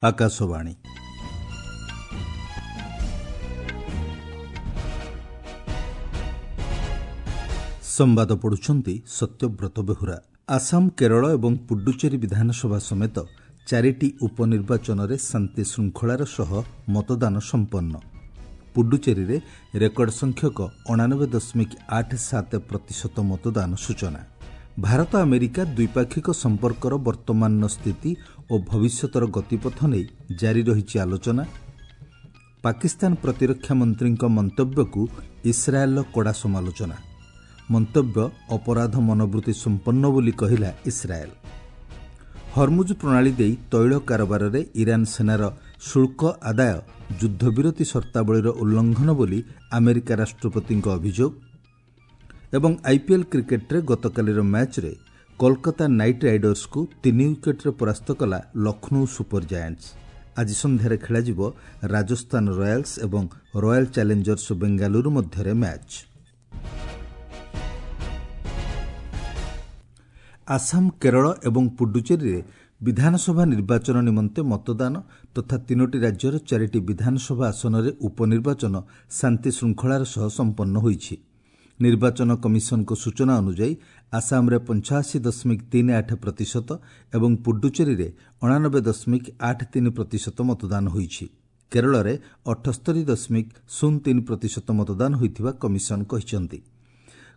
ଆକାଶବାଣୀ। ସମ୍ବାଦ ପଢୁଛନ୍ତି ସତ୍ୟବ୍ରତ ବେହୁରା। ଆସାମ, କେରଳ ଏବଂ ପୁଡୁଚେରୀ ବିଧାନସଭା ସମେତ ଚାରିଟି ଉପନିର୍ବାଚନରେ ଶାନ୍ତିଶୃଙ୍ଖଳାର ସହ ମତଦାନ ସମ୍ପନ୍ନ। ପୁଡୁଚେରୀରେ ରେକର୍ଡ ସଂଖ୍ୟକ 89.87% ମତଦାନ ସୂଚନା। ଭାରତ ଆମେରିକା ଦ୍ୱିପାକ୍ଷିକ ସମ୍ପର୍କର ବର୍ତ୍ତମାନର ସ୍ଥିତି ଓ ଭବିଷ୍ୟତର ଗତିପଥ ନେଇ ଜାରି ରହିଛି ଆଲୋଚନା। ପାକିସ୍ତାନ ପ୍ରତିରକ୍ଷା ମନ୍ତ୍ରୀଙ୍କ ମନ୍ତବ୍ୟକୁ ଇସ୍ରାଏଲ୍ର କଡ଼ା ସମାଲୋଚନା। ମନ୍ତବ୍ୟ ଅପରାଧ ମନୋବୃତ୍ତି ସମ୍ପନ୍ନ ବୋଲି କହିଲା ଇସ୍ରାଏଲ୍। ହରମୁଜ ପ୍ରଣାଳୀ ଦେଇ ତୈଳ କାରବାରରେ ଇରାନ୍ ସେନାର ଶୁଳ୍କ ଆଦାୟ ଯୁଦ୍ଧବିରତି ସର୍ତ୍ତାବଳୀର ଉଲ୍ଲଂଘନ ବୋଲି ଆମେରିକା ରାଷ୍ଟ୍ରପତିଙ୍କ ଅଭିଯୋଗ। ଏବଂ ଆଇପିଏଲ୍ କ୍ରିକେଟ୍ରେ ଗତକାଲିର ମ୍ୟାଚ୍ରେ କୋଲକାତା ନାଇଟ୍ ରାଇଡର୍ସକୁ 3 ୱିକେଟ୍ରେ ପରାସ୍ତ କଲା ଲକ୍ଷ୍ନୌ ସୁପର ଜାଏଣ୍ଟସ୍। ଆଜି ସନ୍ଧ୍ୟାରେ ଖେଳାଯିବ ରାଜସ୍ଥାନ ରୟାଲ୍ସ ଏବଂ ରୟାଲ୍ ଚ୍ୟାଲେଞ୍ଜର୍ସ ବେଙ୍ଗାଲୁରୁ ମଧ୍ୟରେ ମ୍ୟାଚ୍। ଆସାମ, କେରଳ ଏବଂ ପୁଡୁଚେରୀରେ ବିଧାନସଭା ନିର୍ବାଚନ ନିମନ୍ତେ ମତଦାନ ତଥା ତିନୋଟି ରାଜ୍ୟର ଚାରିଟି ବିଧାନସଭା ଆସନରେ ଉପନିର୍ବାଚନ ଶାନ୍ତିଶୃଙ୍ଖଳାର ସହ ସମ୍ପନ୍ନ ହୋଇଛି। ନିର୍ବାଚନ କମିଶନଙ୍କ ସୂଚନା ଅନୁଯାୟୀ ଆସାମରେ 85.38% ଏବଂ ପୁଡୁଚେରୀରେ 89.83% ମତଦାନ ହୋଇଛି। କେରଳରେ 78.03% ମତଦାନ ହୋଇଥିବା କମିଶନ କହିଛନ୍ତି।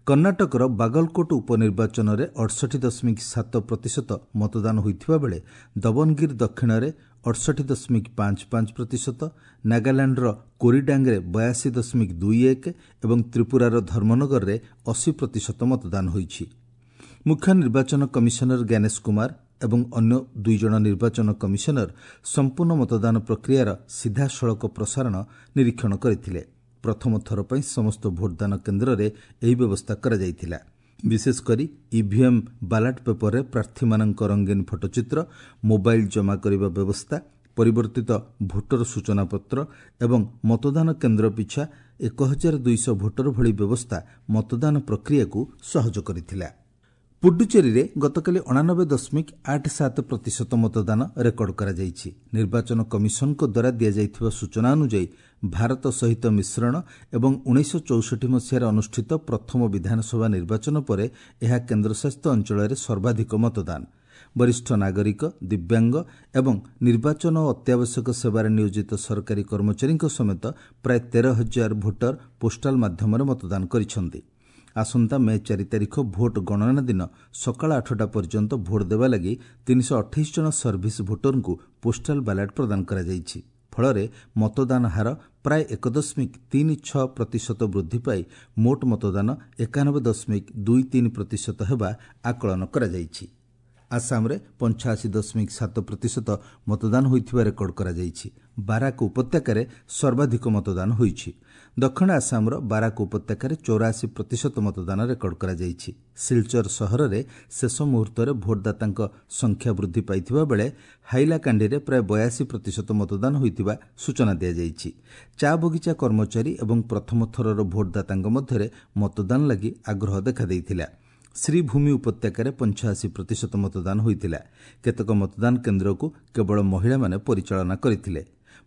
କର୍ଣ୍ଣାଟକର ବାଗଲକୋଟ ଉପନିର୍ବାଚନରେ 68.7% ମତଦାନ ହୋଇଥିବା ବେଳେ ଦବନଗିରି ଦକ୍ଷିଣରେ 68.55%, ନାଗାଲାଣ୍ଡର କୋରିଡାଙ୍ଗରେ 82.21 ଏବଂ ତ୍ରିପୁରାର ଧର୍ମନଗରରେ 80% ମତଦାନ ହୋଇଛି। ମୁଖ୍ୟ ନିର୍ବାଚନ କମିଶନର ଜ୍ଞାନେଶ କୁମାର ଏବଂ ଅନ୍ୟ ଦୁଇଜଣ ନିର୍ବାଚନ କମିଶନର ସମ୍ପୂର୍ଣ୍ଣ ମତଦାନ ପ୍ରକ୍ରିୟାର ସିଧାସଳଖ ପ୍ରସାରଣ ନିରୀକ୍ଷଣ କରିଥିଲେ। ପ୍ରଥମ ଥର ପାଇଁ ସମସ୍ତ ଭୋଟଦାନ କେନ୍ଦ୍ରରେ ଏହି ବ୍ୟବସ୍ଥା କରାଯାଇଥିଲା। ବିଶେଷକରି ଇଭିଏମ୍ ବାଲାଟ ପେପରରେ ପ୍ରାର୍ଥୀମାନଙ୍କ ରଙ୍ଗୀନ ଫଟୋଚିତ୍ର, ମୋବାଇଲ୍ ଜମା କରିବା ବ୍ୟବସ୍ଥା, ପରିବର୍ତ୍ତିତ ଭୋଟର ସୂଚନାପତ୍ର ଏବଂ ମତଦାନ କେନ୍ଦ୍ର ପିଛା 1200 ଭୋଟର ଭଳି ବ୍ୟବସ୍ଥା ମତଦାନ ପ୍ରକ୍ରିୟାକୁ ସହଜ କରିଥିଲା। ପୁଡୁଚେରୀରେ ଗତକାଲି 89.87% ମତଦାନ ରେକର୍ଡ କରାଯାଇଛି। ନିର୍ବାଚନ କମିଶନଙ୍କ ଦ୍ୱାରା ଦିଆଯାଇଥିବା ସୂଚନା ଅନୁଯାୟୀ ଭାରତ ସହିତ ମିଶ୍ରଣ ଏବଂ 1964 ମସିହାରେ ଅନୁଷ୍ଠିତ ପ୍ରଥମ ବିଧାନସଭା ନିର୍ବାଚନ ପରେ ଏହା କେନ୍ଦ୍ରଶାସିତ ଅଞ୍ଚଳରେ ସର୍ବାଧିକ ମତଦାନ। ବରିଷ୍ଠ ନାଗରିକ, ଦିବ୍ୟାଙ୍ଗ ଏବଂ ନିର୍ବାଚନ ଓ ଅତ୍ୟାବଶ୍ୟକ ସେବାରେ ନିୟୋଜିତ ସରକାରୀ କର୍ମଚାରୀଙ୍କ ସମେତ ପ୍ରାୟ 13,000 ଭୋଟର ପୋଷ୍ଟାଲ ମାଧ୍ୟମରେ ମତଦାନ କରିଛନ୍ତି। ଆସନ୍ତା ମେ 4 ତାରିଖ ଭୋଟ ଗଣନା ଦିନ ସକାଳ 8ଟା ପର୍ଯ୍ୟନ୍ତ ଭୋଟ ଦେବା ଲାଗି 328 ଜଣ ସର୍ଭିସ ଭୋଟରଙ୍କୁ ପୋଷ୍ଟାଲ ବାଲାଟ ପ୍ରଦାନ କରାଯାଇଛି। ଫଳରେ ମତଦାନ ହାର ପ୍ରାୟ 1.36% ବୃଦ୍ଧି ପାଇ ମୋଟ ମତଦାନ 91.23% ହେବା ଆକଳନ କରାଯାଇଛି। ଆସାମରେ 85.7% ମତଦାନ ହୋଇଥିବା ରେକର୍ଡ କରାଯାଇଛି। ବାରାକ ଉପତ୍ୟକାରେ ସର୍ବାଧିକ ମତଦାନ ହୋଇଛି। ଦକ୍ଷିଣ ଆସାମର ବାରାକ ଉପତ୍ୟକାରେ 84% ମତଦାନ ରେକର୍ଡ କରାଯାଇଛି। ସିଲଚର ସହରରେ ଶେଷ ମୁହୂର୍ତ୍ତରେ ଭୋଟଦାତାଙ୍କ ସଂଖ୍ୟା ବୃଦ୍ଧି ପାଇଥିବା ବେଳେ ହାଇଲାକାଣ୍ଡିରେ ପ୍ରାୟ 82% ମତଦାନ ହୋଇଥିବା ସୂଚନା ଦିଆଯାଇଛି। ଚା ବଗିଚା କର୍ମଚାରୀ ଏବଂ ପ୍ରଥମ ଥରର ଭୋଟଦାତାଙ୍କ ମଧ୍ୟରେ ମତଦାନ ଲାଗି ଆଗ୍ରହ ଦେଖାଦେଇଥିଲା। ଶ୍ରୀଭୂମି ଉପତ୍ୟକାରେ 85% ମତଦାନ ହୋଇଥିଲା। କେତେକ ମତଦାନ କେନ୍ଦ୍ରକୁ କେବଳ ମହିଳାମାନେ ପରିଚାଳନା କରିଥିଲେ।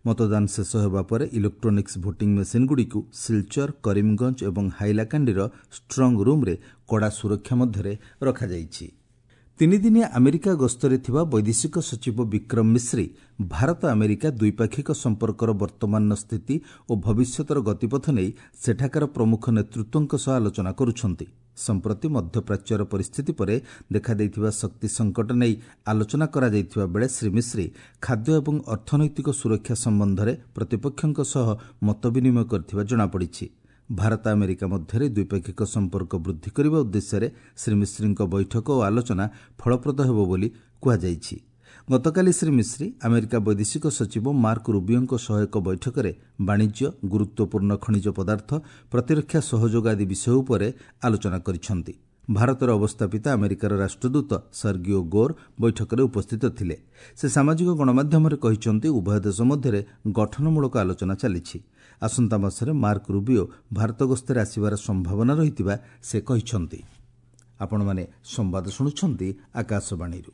ମତଦାନ ଶେଷ ହେବା ପରେ ଇଲେକ୍ଟ୍ରୋନିକ୍ସ ଭୋଟିଂ ମେସିନ୍ଗୁଡ଼ିକୁ ସିଲଚର, କରିମଗଞ୍ଜ ଏବଂ ହାଇଲାକାଣ୍ଡିର ଷ୍ଟ୍ରଙ୍ଗ ରୁମ୍ରେ କଡ଼ା ସୁରକ୍ଷା ମଧ୍ୟରେ ରଖାଯାଇଛି। ତିନିଦିନିଆ ଆମେରିକା ଗସ୍ତରେ ଥିବା ବୈଦେଶିକ ସଚିବ ବିକ୍ରମ ମିଶ୍ରି ଭାରତ ଆମେରିକା ଦ୍ୱିପାକ୍ଷିକ ସମ୍ପର୍କର ବର୍ତ୍ତମାନର ସ୍ଥିତି ଓ ଭବିଷ୍ୟତର ଗତିପଥ ନେଇ ସେଠାକାର ପ୍ରମୁଖ ନେତୃତ୍ୱଙ୍କ ସହ ଆଲୋଚନା କରୁଛନ୍ତି। ସମ୍ପ୍ରତି ମଧ୍ୟପ୍ରାଚ୍ୟର ପରିସ୍ଥିତି ପରେ ଦେଖାଦେଇଥିବା ଶକ୍ତି ସଙ୍କଟ ନେଇ ଆଲୋଚନା କରାଯାଇଥିବା ବେଳେ ଶ୍ରୀ ମିଶ୍ରି ଖାଦ୍ୟ ଏବଂ ଅର୍ଥନୈତିକ ସୁରକ୍ଷା ସମ୍ବନ୍ଧରେ ପ୍ରତିପକ୍ଷଙ୍କ ସହ ମତ ବିନିମୟ କରିଥିବା ଜଣାପଡ଼ିଛି। ଭାରତ ଆମେରିକା ମଧ୍ୟରେ ଦ୍ୱିପାକ୍ଷିକ ସମ୍ପର୍କ ବୃଦ୍ଧି କରିବା ଉଦ୍ଦେଶ୍ୟରେ ଶ୍ରୀ ମିଶ୍ରିଙ୍କ ବୈଠକ ଓ ଆଲୋଚନା ଫଳପ୍ରଦ ହେବ ବୋଲି କୁହାଯାଇଛି। ଗତକାଲି ଶ୍ରୀ ମିଶ୍ରି ଆମେରିକା ବୈଦେଶିକ ସଚିବ ମାର୍କ ରୁବିଓଙ୍କ ସହ ଏକ ବୈଠକରେ ବାଣିଜ୍ୟ, ଗୁରୁତ୍ୱପୂର୍ଣ୍ଣ ଖଣିଜ ପଦାର୍ଥ, ପ୍ରତିରକ୍ଷା ସହଯୋଗ ଆଦି ବିଷୟ ଉପରେ ଆଲୋଚନା କରିଛନ୍ତି। ଭାରତରେ ଅବସ୍ଥାପିତ ଆମେରିକାର ରାଷ୍ଟ୍ରଦୂତ ସର୍ଗିଓ ଗୋର୍ ବୈଠକରେ ଉପସ୍ଥିତ ଥିଲେ। ସେ ସାମାଜିକ ଗଣମାଧ୍ୟମରେ କହିଛନ୍ତି, ଉଭୟ ଦେଶ ମଧ୍ୟରେ ଗଠନମୂଳକ ଆଲୋଚନା ଚାଲିଛି। ଆସନ୍ତା ମାସରେ ମାର୍କ ରୁବିଓ ଭାରତ ଗସ୍ତରେ ଆସିବାର ସମ୍ଭାବନା ରହିଥିବା ସେ କହିଛନ୍ତି। ଆପଣମାନେ ସମ୍ବାଦ ଶୁଣୁଛନ୍ତି ଆକାଶବାଣୀରୁ।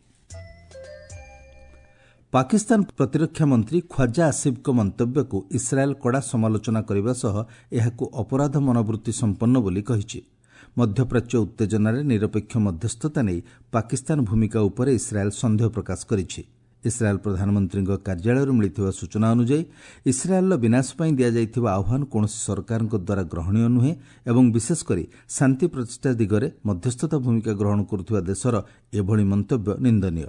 ପାକିସ୍ତାନ ପ୍ରତିରକ୍ଷା ମନ୍ତ୍ରୀ ଖ୍ୱାଜା ଆସିଫଙ୍କ ମନ୍ତବ୍ୟକୁ ଇସ୍ରାଏଲ୍ କଡ଼ା ସମାଲୋଚନା କରିବା ସହ ଏହାକୁ ଅପରାଧ ମନୋବୃତ୍ତି ସମ୍ପନ୍ନ ବୋଲି କହିଛି। ମଧ୍ୟପ୍ରାଚ୍ୟ ଉତ୍ତେଜନାରେ ନିରପେକ୍ଷ ମଧ୍ୟସ୍ଥତା ନେଇ ପାକିସ୍ତାନ ଭୂମିକା ଉପରେ ଇସ୍ରାଏଲ୍ ସନ୍ଦେହ ପ୍ରକାଶ କରିଛି। ଇସ୍ରାଏଲ୍ ପ୍ରଧାନମନ୍ତ୍ରୀଙ୍କ କାର୍ଯ୍ୟାଳୟରୁ ମିଳିଥିବା ସୂଚନା ଅନୁଯାୟୀ, ଇସ୍ରାଏଲ୍ର ବିନାଶ ପାଇଁ ଦିଆଯାଇଥିବା ଆହ୍ୱାନ କୌଣସି ସରକାରଙ୍କ ଦ୍ୱାରା ଗ୍ରହଣୀୟ ନୁହେଁ ଏବଂ ବିଶେଷ କରି ଶାନ୍ତି ପ୍ରତିଷ୍ଠା ଦିଗରେ ମଧ୍ୟସ୍ଥତା ଭୂମିକା ଗ୍ରହଣ କରୁଥିବା ଦେଶର ଏଭଳି ମନ୍ତବ୍ୟ ନିନ୍ଦନୀୟ।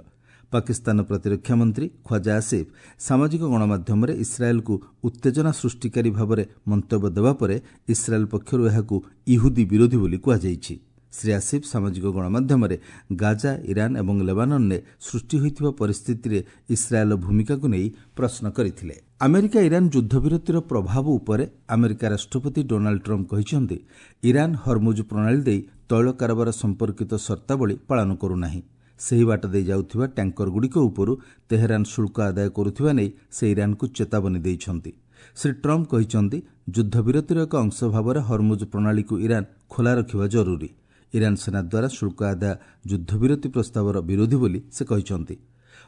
ପାକିସ୍ତାନ ପ୍ରତିରକ୍ଷା ମନ୍ତ୍ରୀ ଖ୍ୱାଜା ଆସିଫ୍ ସାମାଜିକ ଗଣମାଧ୍ୟମରେ ଇସ୍ରାଏଲ୍କୁ ଉତ୍ତେଜନା ସୃଷ୍ଟିକାରୀ ଭାବରେ ମନ୍ତବ୍ୟ ଦେବା ପରେ ଇସ୍ରାଏଲ୍ ପକ୍ଷରୁ ଏହାକୁ ଇହୁଦୀ ବିରୋଧୀ ବୋଲି କୁହାଯାଇଛି। ଶ୍ରୀ ଆସିଫ୍ ସାମାଜିକ ଗଣମାଧ୍ୟମରେ ଗାଜା, ଇରାନ ଏବଂ ଲେବାନନରେ ସୃଷ୍ଟି ହୋଇଥିବା ପରିସ୍ଥିତିରେ ଇସ୍ରାଏଲ୍ର ଭୂମିକାକୁ ନେଇ ପ୍ରଶ୍ନ କରିଥିଲେ। ଆମେରିକା ଇରାନ ଯୁଦ୍ଧବିରତିର ପ୍ରଭାବ ଉପରେ ଆମେରିକା ରାଷ୍ଟ୍ରପତି ଡୋନାଲ୍ଡ ଟ୍ରମ୍ପ କହିଛନ୍ତି, ଇରାନ ହରମୁଜ ପ୍ରଣାଳୀ ଦେଇ ତୈଳ କାରବାର ସମ୍ପର୍କିତ ସର୍ତ୍ତାବଳୀ ପାଳନ କରୁନାହିଁ। ସେହି ବାଟ ଦେଇ ଯାଉଥିବା ଟ୍ୟାଙ୍କରଗୁଡ଼ିକ ଉପରୁ ତେହେରାନ ଶୁଳ୍କ ଆଦାୟ କରୁଥିବା ନେଇ ସେ ଇରାନକୁ ଚେତାବନୀ ଦେଇଛନ୍ତି। ଶ୍ରୀ ଟ୍ରମ୍ପ କହିଛନ୍ତି, ଯୁଦ୍ଧବିରତିର ଏକ ଅଂଶ ଭାବରେ ହରମୁଜ ପ୍ରଣାଳୀକୁ ଇରାନ ଖୋଲା ରଖିବା ଜରୁରୀ। ଇରାନ ସେନା ଦ୍ୱାରା ଶୁଳ୍କ ଆଦାୟ ଯୁଦ୍ଧବିରତି ପ୍ରସ୍ତାବର ବିରୋଧୀ ବୋଲି ସେ କହିଛନ୍ତି।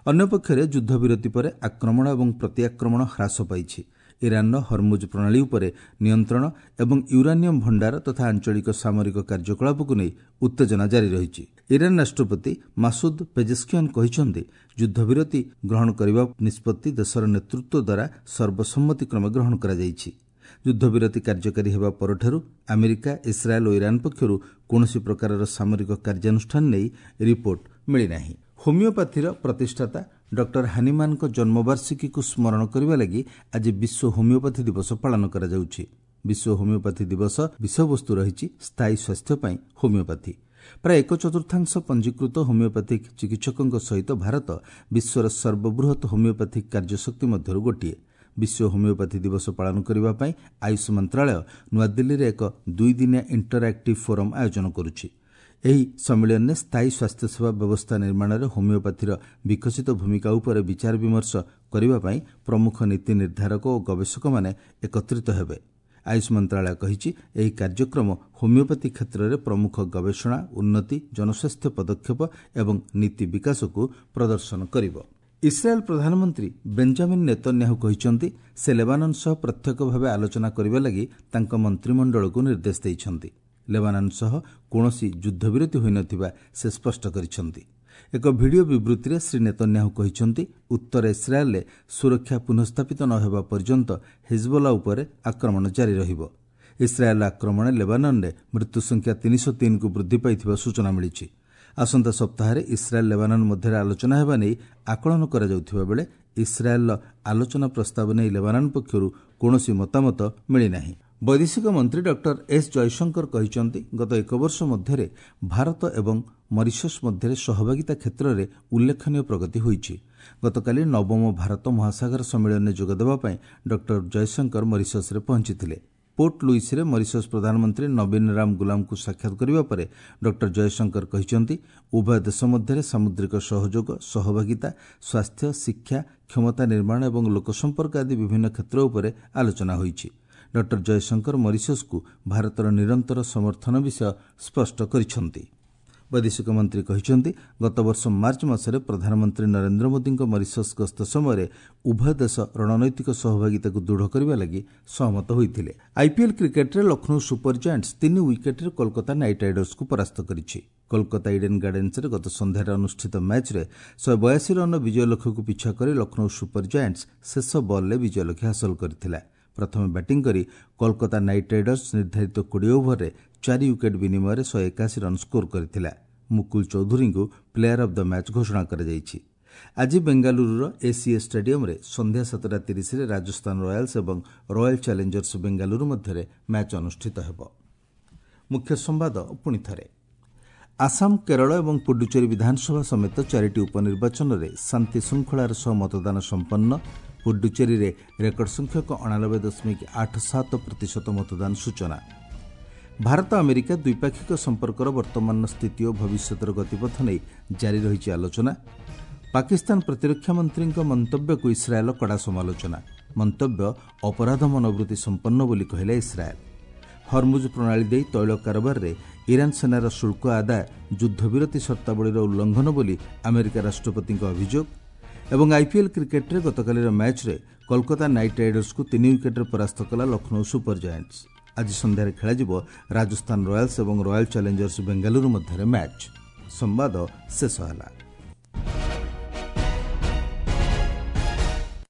ଅନ୍ୟପକ୍ଷରେ ଯୁଦ୍ଧବିରତି ପରେ ଆକ୍ରମଣ ଏବଂ ପ୍ରତିଆକ୍ରମଣ ହ୍ରାସ ପାଇଛି। ଇରାନର ହରମୁଜ ପ୍ରଣାଳୀ ଉପରେ ନିୟନ୍ତ୍ରଣ ଏବଂ ୟୁରାନିୟମ୍ ଭଣ୍ଡାର ତଥା ଆଞ୍ଚଳିକ ସାମରିକ କାର୍ଯ୍ୟକଳାପକୁ ନେଇ ଉତ୍ତେଜନା ଜାରି ରହିଛି। ଇରାନ ରାଷ୍ଟ୍ରପତି ମାସୁଦ ପେଜେସ୍କିଆନ୍ କହିଛନ୍ତି, ଯୁଦ୍ଧବିରତି ଗ୍ରହଣ କରିବା ନିଷ୍ପତ୍ତି ଦେଶର ନେତୃତ୍ୱ ଦ୍ୱାରା ସର୍ବସମ୍ମତିକ୍ରମେ ଗ୍ରହଣ କରାଯାଇଛି। ଯୁଦ୍ଧବିରତି କାର୍ଯ୍ୟକାରୀ ହେବା ପରଠାରୁ ଆମେରିକା, ଇସ୍ରାଏଲ୍ ଓ ଇରାନ ପକ୍ଷରୁ କୌଣସି ପ୍ରକାରର ସାମରିକ କାର୍ଯ୍ୟାନୁଷ୍ଠାନ ନେଇ ରିପୋର୍ଟ ମିଳିନାହିଁ। ହୋମିଓପାଥିର ପ୍ରତିଷ୍ଠାତା ଡକ୍ଟର ହାନିମାନଙ୍କ ଜନ୍ମବାର୍ଷିକୀକୁ ସ୍ମରଣ କରିବା ଲାଗି ଆଜି ବିଶ୍ୱ ହୋମିଓପାଥି ଦିବସ ପାଳନ କରାଯାଉଛି। ବିଶ୍ୱ ହୋମିଓପାଥି ଦିବସ ବିଷୟବସ୍ତୁ ରହିଛି ସ୍ଥାୟୀ ସ୍ୱାସ୍ଥ୍ୟ ପାଇଁ ହୋମିଓପାଥି। ପ୍ରାୟ 1/4 ପଞ୍ଜୀକୃତ ହୋମିଓପାଥିକ୍ ଚିକିତ୍ସକଙ୍କ ସହିତ ଭାରତ ବିଶ୍ୱର ସର୍ବବୃହତ୍ ହୋମିଓପାଥିକ୍ କାର୍ଯ୍ୟଶକ୍ତି ମଧ୍ୟରୁ ଗୋଟିଏ। ବିଶ୍ୱ ହୋମିଓପାଥି ଦିବସ ପାଳନ କରିବା ପାଇଁ ଆୟୁଷ ମନ୍ତ୍ରଣାଳୟ ନୂଆଦିଲ୍ଲୀରେ ଏକ 2 ଦିନିଆ ଇଣ୍ଟରଆକ୍ଟିଭ୍ ଫୋରମ୍ ଆୟୋଜନ କରୁଛି। ଏହି ସମ୍ମିଳନୀରେ ସ୍ଥାୟୀ ସ୍ୱାସ୍ଥ୍ୟସେବା ବ୍ୟବସ୍ଥା ନିର୍ମାଣରେ ହୋମିଓପାଥିର ବିକଶିତ ଭୂମିକା ଉପରେ ବିଚାର ବିମର୍ଶ କରିବା ପାଇଁ ପ୍ରମୁଖ ନୀତି ନିର୍ଦ୍ଧାରକ ଓ ଗବେଷକମାନେ ଏକତ୍ରିତ ହେବେ। ଆୟୁଷ ମନ୍ତ୍ରଣାଳୟ କହିଛି, ଏହି କାର୍ଯ୍ୟକ୍ରମ ହୋମିଓପାଥି କ୍ଷେତ୍ରରେ ପ୍ରମୁଖ ଗବେଷଣା, ଉନ୍ନତି, ଜନସ୍ୱାସ୍ଥ୍ୟ ପଦକ୍ଷେପ ଏବଂ ନୀତି ବିକାଶକୁ ପ୍ରଦର୍ଶନ କରିବ। ଇସ୍ରାଏଲ୍ ପ୍ରଧାନମନ୍ତ୍ରୀ ବେଞ୍ଜାମିନ୍ ନେତନ୍ୟାହୁ କହିଛନ୍ତି, ସେ ଲେବାନନ୍ ସହ ପ୍ରତ୍ୟକ୍ଷ ଭାବେ ଆଲୋଚନା କରିବା ଲାଗି ତାଙ୍କ ମନ୍ତ୍ରିମଣ୍ଡଳକୁ ନିର୍ଦ୍ଦେଶ ଦେଇଛନ୍ତି। ଲେବାନନ୍ ସହ କୌଣସି ଯୁଦ୍ଧବିରତି ହୋଇନଥିବା ସେ ସ୍ପଷ୍ଟ କରିଛନ୍ତି। ଏକ ଭିଡିଓ ବିବୃତ୍ତିରେ ଶ୍ରୀ ନେତନ୍ୟାହୁ କହିଛନ୍ତି, ଉତ୍ତର ଇସ୍ରାଏଲ୍ରେ ସୁରକ୍ଷା ପୁନଃସ୍ଥାପିତ ନ ହେବା ପର୍ଯ୍ୟନ୍ତ ହିଜବୋଲା ଉପରେ ଆକ୍ରମଣ ଜାରି ରହିବ। ଇସ୍ରାଏଲ୍ର ଆକ୍ରମଣରେ ଲେବାନନରେ ମୃତ୍ୟୁ ସଂଖ୍ୟା 303କୁ ବୃଦ୍ଧି ପାଇଥିବା ସୂଚନା ମିଳିଛି। ଆସନ୍ତା ସପ୍ତାହରେ ଇସ୍ରାଏଲ୍ ଲେବାନନ୍ ମଧ୍ୟରେ ଆଲୋଚନା ହେବା ନେଇ ଆକଳନ କରାଯାଉଥିବା ବେଳେ ଇସ୍ରାଏଲ୍ର ଆଲୋଚନା ପ୍ରସ୍ତାବ ନେଇ ଲେବାନନ୍ ପକ୍ଷରୁ କୌଣସି ମତାମତ ମିଳିନାହିଁ। ବୈଦେଶିକ ମନ୍ତ୍ରୀ ଡକ୍ଟର ଏସ୍ ଜୟଶଙ୍କର କହିଛନ୍ତି, ଗତ ଏକ ବର୍ଷ ମଧ୍ୟରେ ଭାରତ ଏବଂ ମରିସସ୍ ମଧ୍ୟରେ ସହଭାଗିତା କ୍ଷେତ୍ରରେ ଉଲ୍ଲେଖନୀୟ ପ୍ରଗତି ହୋଇଛି। ଗତକାଲି ନବମ ଭାରତ ମହାସାଗର ସମ୍ମିଳନୀରେ ଯୋଗଦେବା ପାଇଁ ଡକ୍ଟର ଜୟଶଙ୍କର ମରିସସ୍ରେ ପହଞ୍ଚିଥିଲେ। ପୋର୍ଟ ଲୁଇସ୍ରେ ମରିସସ୍ ପ୍ରଧାନମନ୍ତ୍ରୀ ନବୀନ ରାମ ଗୁଲାମଙ୍କୁ ସାକ୍ଷାତ କରିବା ପରେ ଡକ୍ଟର ଜୟଶଙ୍କର କହିଛନ୍ତି, ଉଭୟ ଦେଶ ମଧ୍ୟରେ ସାମୁଦ୍ରିକ ସହଯୋଗ, ସହଭାଗିତା, ସ୍ୱାସ୍ଥ୍ୟ, ଶିକ୍ଷା, କ୍ଷମତା ନିର୍ମାଣ ଏବଂ ଲୋକସମ୍ପର୍କ ଆଦି ବିଭିନ୍ନ କ୍ଷେତ୍ର ଉପରେ ଆଲୋଚନା ହୋଇଛି। ଡକ୍ଟର ଜୟଶଙ୍କର ମରିସସ୍କୁ ଭାରତର ନିରନ୍ତର ସମର୍ଥନ ବିଷୟ ସ୍ପଷ୍ଟ କରିଛନ୍ତି। ବୈଦେଶିକ ମନ୍ତ୍ରୀ କହିଛନ୍ତି, ଗତବର୍ଷ ମାର୍ଚ୍ଚ ମାସରେ ପ୍ରଧାନମନ୍ତ୍ରୀ ନରେନ୍ଦ୍ର ମୋଦିଙ୍କ ମରିସସ୍ ଗସ୍ତ ସମୟରେ ଉଭୟ ଦେଶ ରଣନୈତିକ ସହଭାଗିତାକୁ ଦୃଢ଼ କରିବା ଲାଗି ସହମତ ହୋଇଥିଲେ। ଆଇପିଏଲ୍ କ୍ରିକେଟ୍ରେ ଲକ୍ଷ୍ନୌ ସୁପର ଜାଏଣ୍ଟସ୍ 3 ୱିକେଟ୍ରେ କୋଲକାତା ନାଇଟ୍ ରାଇଡର୍ସକୁ ପରାସ୍ତ କରିଛି। କୋଲକାତା ଇଡେନ୍ ଗାର୍ଡେନ୍ସରେ ଗତ ସନ୍ଧ୍ୟାରେ ଅନୁଷ୍ଠିତ ମ୍ୟାଚ୍ରେ 182 ରନ୍ର ବିଜୟ ଲକ୍ଷ୍ୟକୁ ପିଛା କରି ଲକ୍ଷ୍ନୌ ସୁପର ଜାଏଣ୍ଟସ୍ ଶେଷ ବଲ୍ରେ ବିଜୟ ଲକ୍ଷ୍ୟ ହାସଲ କରିଥିଲା। ପ୍ରଥମେ ବ୍ୟାଟିଂ କରି କୋଲକାତା ନାଇଟ୍ ରାଇଡର୍ସ ନିର୍ଦ୍ଧାରିତ 20 ଓଭରରେ 4 ୱିକେଟ୍ ବିନିମୟରେ 181 ରନ୍ ସ୍କୋର କରିଥିଲା। ମୁକୁଲ ଚୌଧୁରୀଙ୍କୁ ପ୍ଲେୟାର ଅଫ୍ the match ଘୋଷଣା କରାଯାଇଛି। ଆଜି ବେଙ୍ଗାଲୁରୁର ଏସିଏ ଷ୍ଟାଡିୟମ୍ରେ ସନ୍ଧ୍ୟା 7:30ରେ ରାଜସ୍ଥାନ ରୟାଲ୍ସ ଏବଂ ରୟାଲ୍ ଚ୍ୟାଲେଞ୍ଜର୍ସ ବେଙ୍ଗାଲୁରୁ ମଧ୍ୟରେ ମ୍ୟାଚ୍ ଅନୁଷ୍ଠିତ ହେବ। ମୁଖ୍ୟ ସମ୍ବାଦ ପୁଣି ଥରେ। ଆସାମ, କେରଳ ଏବଂ ପୁଡୁଚେରୀ ବିଧାନସଭା ସମେତ ଚାରିଟି ଉପନିର୍ବାଚନରେ ଶାନ୍ତିଶୃଙ୍ଖଳାର ସହ ମତଦାନ ସମ୍ପନ୍ନ। ପୁଡୁଚେରୀରେ ରେକର୍ଡ ସଂଖ୍ୟକ 89.87% ମତଦାନ ସୂଚନା। ଭାରତ ଆମେରିକା ଦ୍ୱିପାକ୍ଷିକ ସମ୍ପର୍କର ବର୍ତ୍ତମାନର ସ୍ଥିତି ଓ ଭବିଷ୍ୟତର ଗତିପଥ ନେଇ ଜାରି ରହିଛି ଆଲୋଚନା। ପାକିସ୍ତାନ ପ୍ରତିରକ୍ଷା ମନ୍ତ୍ରୀଙ୍କ ମନ୍ତବ୍ୟକୁ ଇସ୍ରାଏଲ୍ କଡ଼ା ସମାଲୋଚନା। ମନ୍ତବ୍ୟ ଅପରାଧ ମନୋବୃତ୍ତି ସମ୍ପନ୍ନ ବୋଲି କହିଲା ଇସ୍ରାଏଲ୍। ହରମୁଜ ପ୍ରଣାଳୀ ଦେଇ ତୈଳ କାରବାରରେ ଇରାନ ସେନାର ଶୁଳ୍କ ଆଦାୟ ଯୁଦ୍ଧବିରତି ସର୍ତ୍ତାବଳୀର ଉଲ୍ଲଂଘନ ବୋଲି ଆମେରିକା ରାଷ୍ଟ୍ରପତିଙ୍କ ଅଭିଯୋଗ। ଏବଂ ଆଇପିଏଲ୍ କ୍ରିକେଟ୍ରେ ଗତକାଲିର ମ୍ୟାଚ୍ରେ କୋଲକାତା ନାଇଟ୍ ରାଇଡର୍ସକୁ 3 ୱିକେଟ୍ରେ ପରାସ୍ତ କଲା ଲକ୍ଷ୍ନୌ ସୁପର ଜାଏଣ୍ଟସ୍। ଆଜି ସନ୍ଧ୍ୟାରେ ଖେଳାଯିବ ରାଜସ୍ଥାନ ରୟାଲ୍ସ ଏବଂ ରୟାଲ୍ ଚ୍ୟାଲେଞ୍ଜର୍ସ ବେଙ୍ଗାଲୁରୁ ମଧ୍ୟରେ ମ୍ୟାଚ୍। ସମ୍ବାଦ ଶେଷ ହେଲା।